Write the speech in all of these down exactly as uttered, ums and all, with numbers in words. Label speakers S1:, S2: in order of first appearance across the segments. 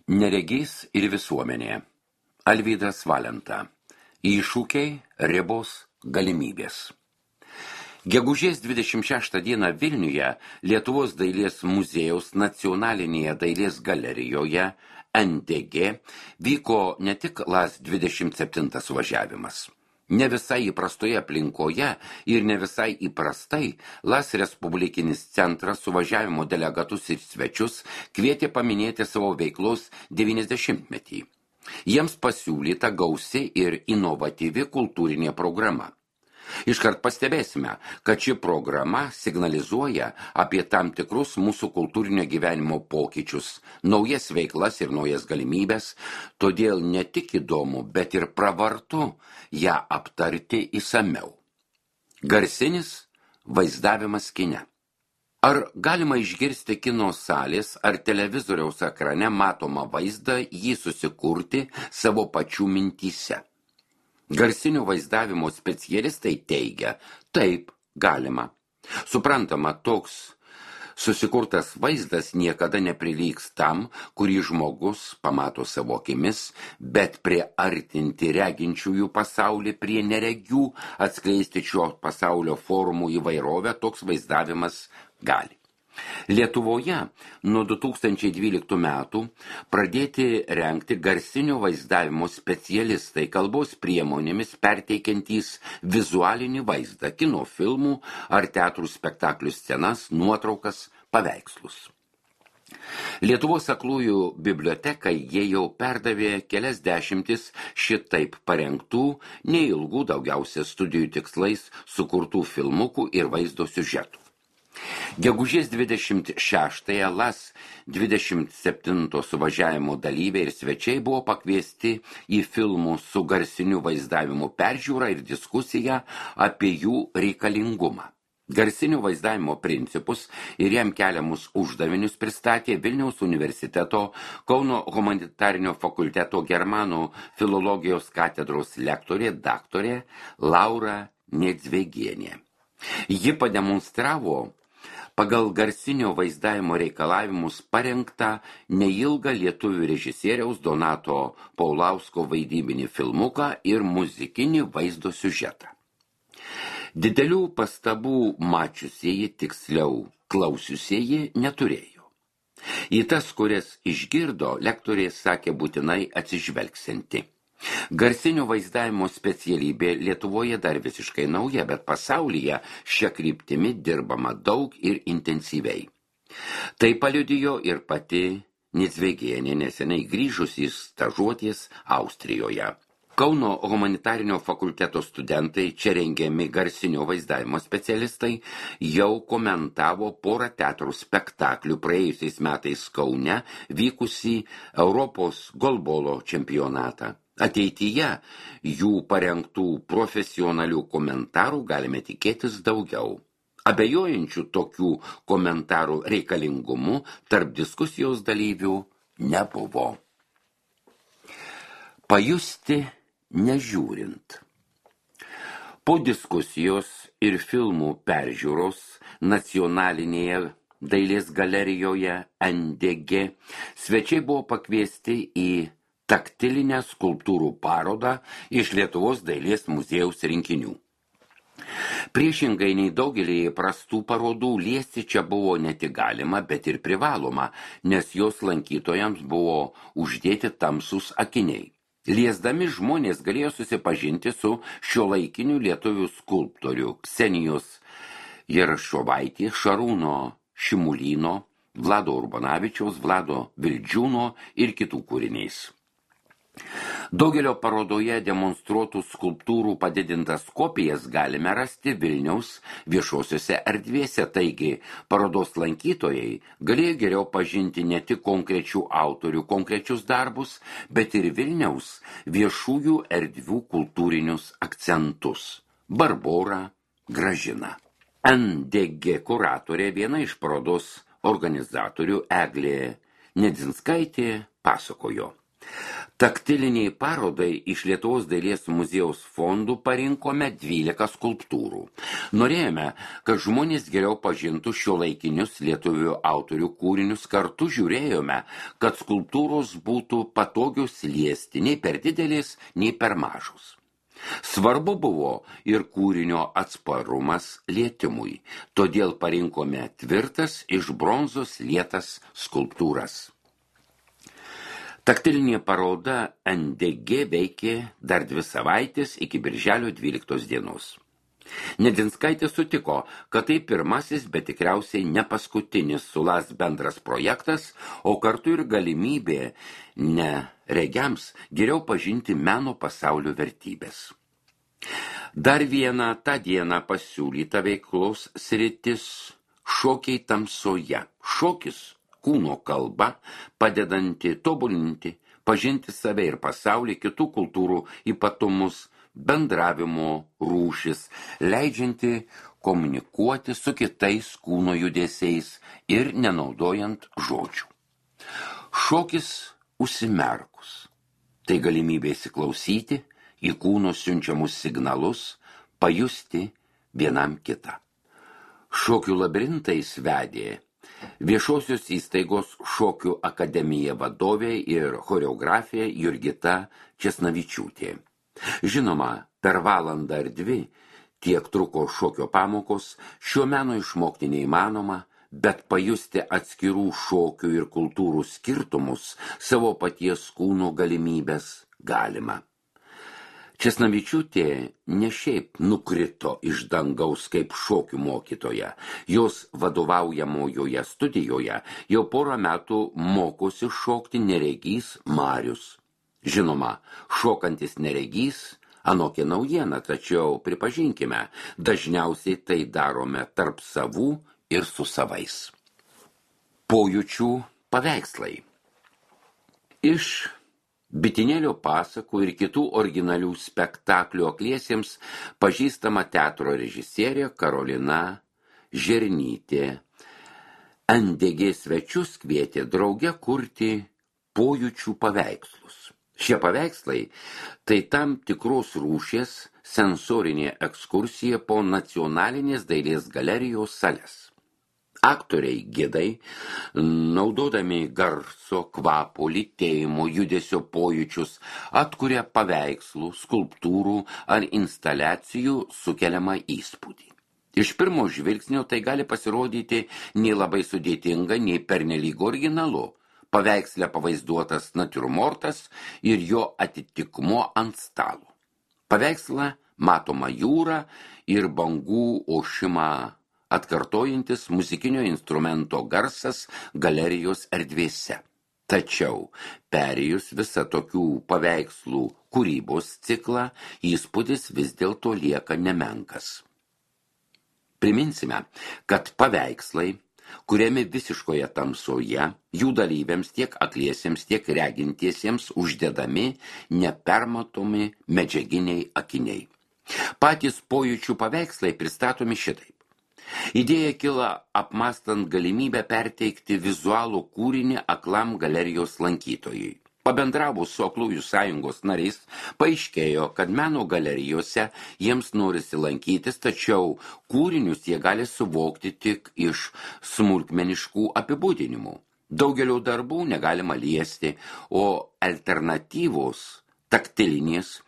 S1: Neregys ir visuomenė. Alvydas Valenta. Iššūkiai, ribos, galimybės. Gegužės dvidešimt šeštą dieną Vilniuje Lietuvos dailės muziejaus nacionalinėje dailės galerijoje N D G vyko ne tik LAS dvidešimt septintas suvažiavimas. Ne visai įprastoje aplinkoje ir ne visai įprastai LAS Respublikinis centras suvažiavimo delegatus ir svečius kvietė paminėti savo veiklos devyniasdešimtmetį. Jiems pasiūlyta gausi ir inovatyvi kultūrinė programa. Iškart pastebėsime, kad ši programa signalizuoja apie tam tikrus mūsų kultūrinio gyvenimo pokyčius, naujas veiklas ir naujas galimybės, todėl ne tik įdomu, bet ir pravartu ją aptarti išsamiau. Garsinis vaizdavimas kine. Ar galima išgirsti kino salės ar televizoriaus ekrane matomą vaizdą, jį susikurti savo pačių mintyse? Garsinio vaizdavimo specialistai teigia, taip, galima. Suprantama, toks susikurtas vaizdas niekada neprilygs tam, kurį žmogus pamato savo akimis, bet priartinti reginčiųjų pasaulį prie neregių, atskleisti šio pasaulio formų įvairovę, toks vaizdavimas gali. Lietuvoje nuo du tūkstančiai dvyliktų metų pradėti rengti garsinio vaizdavimo specialistai kalbos priemonėmis perteikiantys vizualinį vaizdą, kino filmų ar teatrų spektaklių scenas, nuotraukas, paveikslus. Lietuvos aklųjų bibliotekai jie jau perdavė kelias dešimtis šitaip parengtų, neilgų, daugiausia studijų tikslais sukurtų filmukų ir vaizdo siužetų. Gegužės dvidešimt šeštąją LAS dvidešimt septinto suvažiavimo dalyviai ir svečiai buvo pakviesti į filmų su garsiniu vaizdavimu peržiūrą ir diskusiją apie jų reikalingumą. Garsinio vaizdavimo principus ir jam keliamus uždavinius pristatė Vilniaus universiteto Kauno humanitarinio fakulteto germanų filologijos katedros lektorė daktarė Laura Nedzvegienė. Ji pademonstravo pagal garsinio vaizdavimo reikalavimus parengtą neilgą lietuvių režisieriaus Donato Paulausko vaidybinį filmuką ir muzikinį vaizdo siužetą. Didelių pastabų mačiusieji, tiksliau klausiusieji, neturėjo. Į tas, kurias išgirdo, lektorė sakė būtinai atsižvelgsianti. Garsinio vaizdavimo specialybė Lietuvoje dar visiškai nauja, bet pasaulyje šia kryptimi dirbama daug ir intensyviai. Tai paliudijo ir pati Nedzvegienė neseniai grįžus į stažuoties Austrijoje. Kauno humanitarinio fakulteto studentai, čia rengiami garsinio vaizdavimo specialistai, jau komentavo porą teatrų spektaklių praėjusiais metais Kaune vykusį Europos golbolo čempionatą. Ateityje jų parengtų profesionalių komentarų galime tikėtis daugiau. Abejojančių tokių komentarų reikalingumu tarp diskusijos dalyvių nebuvo. Pajusti nežiūrint. Po diskusijos ir filmų peržiūros nacionalinėje dailės galerijoje N D G svečiai buvo pakviesti į taktilinę skulptūrų parodą iš Lietuvos dailės muziejaus rinkinių. Priešingai nei daugelį prastų parodų, liesti čia buvo ne tik galima, bet ir privaloma, nes jos lankytojams buvo uždėti tamsūs akiniai. Liesdami žmonės galėjo susipažinti su šiuolaikiniu lietuvių skulptorių Ksenijos Jerašovaitės, Šarūno Šimulyno, Vlado Urbanavičiaus, Vlado Vildžiūno ir kitų kūriniais. Daugelio parodoje demonstruotų skulptūrų padidintas kopijas galime rasti Vilniaus viešosiose erdvėse, taigi parodos lankytojai galėjo geriau pažinti ne tik konkrečių autorių konkrečius darbus, bet ir Vilniaus viešųjų erdvių kultūrinius akcentus. Barbora, Gražina. N D G kuratorė, viena iš parodos organizatorių Eglė Nedzinskaitė, pasakojo. Taktiliniai parodai iš Lietuvos dailės muziejaus fondų parinkome dvylika skulptūrų. Norėjome, kad žmonės geriau pažintų šiuolaikinius lietuvių autorių kūrinius, kartu žiūrėjome, kad skulptūros būtų patogios liesti, nei per didelės, nei per mažos. Svarbu buvo ir kūrinio atsparumas lietimui, todėl parinkome tvirtas iš bronzos lietas skulptūras. Taktilinė paroda N D G veikė dar dvi savaitės iki birželio dvyliktos dienos. Nedzinskaitė sutiko, kad tai pirmasis, bet tikriausiai ne paskutinis su L A S bendras projektas, o kartu ir galimybė neregiams geriau pažinti meno pasaulio vertybės. Dar viena tą dieną pasiūlyta veiklos sritis – šokiai tamsoje. Šokis kūno kalba, padedanti tobulinti, pažinti save ir pasaulį, kitų kultūrų ypatumus, bendravimo rūšis, leidžianti komunikuoti su kitais kūno judesiais ir nenaudojant žodžių. Šokis užsimerkus. Tai galimybė įsiklausyti į kūno siunčiamus signalus, pajusti vienam kitą. Šokių labirintais vedė Viešosios įstaigos Šokių akademija vadovė ir choreografė Jurgita Česnavičiūtė. Žinoma, per valandą ar dvi, tiek truko šokio pamokos, šio meno išmokti neįmanoma, bet pajusti atskirų šokių ir kultūrų skirtumus, savo paties kūno galimybės galima. Česnavičiūtė ne šiaip nukrito iš dangaus kaip šokių mokytoja. Jos vadovaujamojoje studijoje jau porą metų mokosi šokti neregys Marius. Žinoma, šokantis neregys anokia naujiena, tačiau pripažinkime, dažniausiai tai darome tarp savų ir su savais. Pojūčių paveikslai. Iš Bitinėlio pasakų ir kitų originalių spektaklių akliesiems pažįstama teatro režisierė Karolina Žernytė. N D G svečius kvietė drauge kurti pojūčių paveikslus. Šie paveikslai tai tam tikros rūšies sensorinė ekskursija po nacionalinės dailės galerijos sales. Aktoriai gidai, naudodami garso, kvapo, lytėjimo, judesio pojūčius, atkuria paveikslų, skulptūrų ar instaliacijų sukeliamą įspūdį. Iš pirmo žvilgsnio tai gali pasirodyti nei labai sudėtinga, nei pernelyg originalu. Paveiksle pavaizduotas natiurmortas ir jo atitikmuo ant stalo. Paveiksle matoma jūra ir bangų ošimą atkartojantis muzikinio instrumento garsas galerijos erdvėse. Tačiau, perėjus visą tokių paveikslų kūrybos ciklą, įspūdis vis dėlto lieka nemenkas. Priminsime, kad paveikslai, kuriami visiškoje tamsoje, jų dalyviams tiek akliesiems, tiek regintiesiems uždedami nepermatomi medžiaginiai akiniai. Patys pojūčių paveikslai pristatomi šitaip. Idėja kilo apmastant galimybę perteikti vizualų kūrinį aklam galerijos lankytojui. Pabendravus su Aklųjų sąjungos nariais, paaiškėjo, kad meno galerijose jiems norisi lankytis, tačiau kūrinius jie gali suvokti tik iš smulkmeniškų apibūdinimų. Daugelio darbų negalima liesti, o alternatyvos taktilinės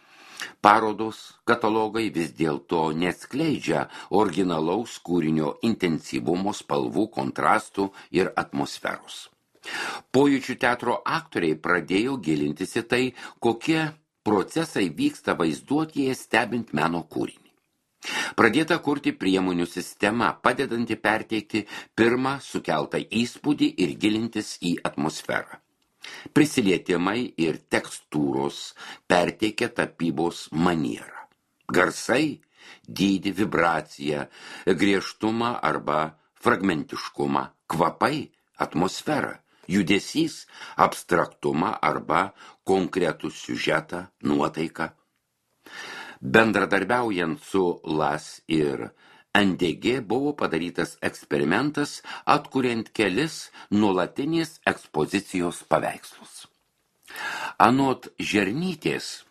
S1: parodos katalogai vis dėlto neatskleidžia originalaus kūrinio intensyvumo, spalvų, kontrastų ir atmosferos. Pojūčių teatro aktoriai pradėjo gilintis į tai, kokie procesai vyksta vaizduotėje stebint meno kūrinį. Pradėta kurti priemonių sistema, padedanti perteikti pirmą sukeltą įspūdį ir gilintis į atmosferą. Prisilietimai ir tekstūros perteikia tapybos manierą. Garsai, dydį, vibraciją, griežtumą arba fragmentiškumą, kvapai, atmosferą, judesys, abstraktumą arba konkretų siužetą, nuotaiką. Bendradarbiaujant su L A S ir N D G buvo padarytas eksperimentas, atkuriant kelis nuolatinės ekspozicijos paveikslus. Anot Žernytės,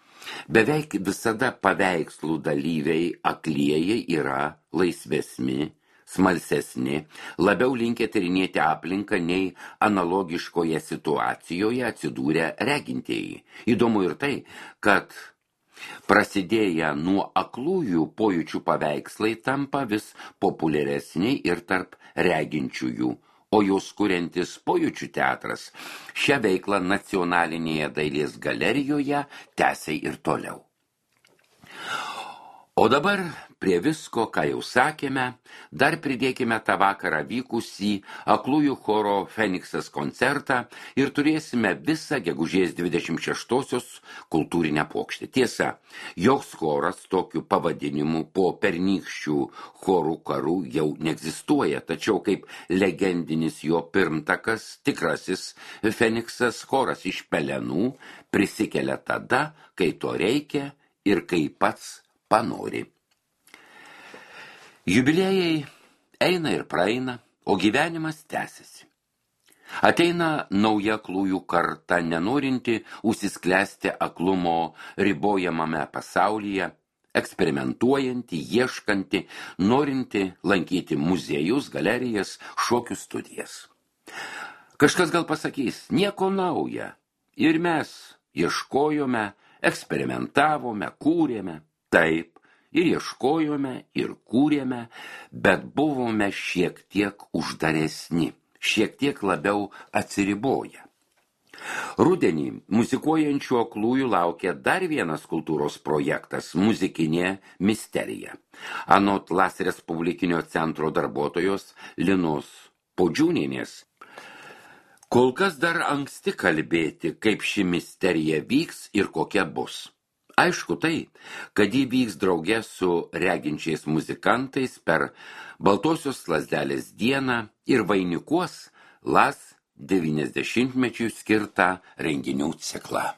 S1: beveik visada paveikslų dalyviai aklieji yra laisvesni, smalsesni, labiau linkę tyrinėti aplinką nei analogiškoje situacijoje atsidūrę regintieji. Įdomu ir tai, kad prasidėję nuo aklųjų pojūčių paveikslai tampa vis populiaresni ir tarp reginčiųjų, o jos kuriantis pojūčių teatras šią veiklą Nacionalinėje dailės galerijoje tęsia ir toliau. O dabar prie visko, ką jau sakėme, dar pridėkime tą vakarą vykusį aklųjų choro Feniksas koncertą ir turėsime visą gegužės dvidešimt šeštosios kultūrinę puokštę. Tiesa, joks choras tokiu pavadinimu po pernykščių chorų karų jau neegzistuoja, tačiau kaip legendinis jo pirmtakas, tikrasis Feniksas choras iš pelenų prisikelia tada, kai to reikia ir kai pats panori. Jubiliejai eina ir praeina, o gyvenimas tęsiasi. Ateina nauja aklųjų karta, nenorinti užsisklęsti aklumo ribojamame pasaulyje, eksperimentuojanti, ieškanti, norinti lankyti muziejus, galerijas, šokių studijas. Kažkas gal pasakys, nieko nauja. Ir mes ieškojome, eksperimentavome, kūrėme. Taip, ir ieškojome, ir kūrėme, bet buvome šiek tiek uždaresni, šiek tiek labiau atsiriboję. Rudenį muzikuojančių aklųjų laukia dar vienas kultūros projektas – muzikinė misterija. Anot Las Respublikinio centro darbuotojos Linos Podžiūnienės, kol kas dar anksti kalbėti, kaip ši misterija vyks ir kokia bus. Aišku tai, kad jį vyks drauge su reginčiais muzikantais per Baltosios lazdelės dieną ir vainikuos Las devyniasdešimtmečiui skirtą renginių ciklą.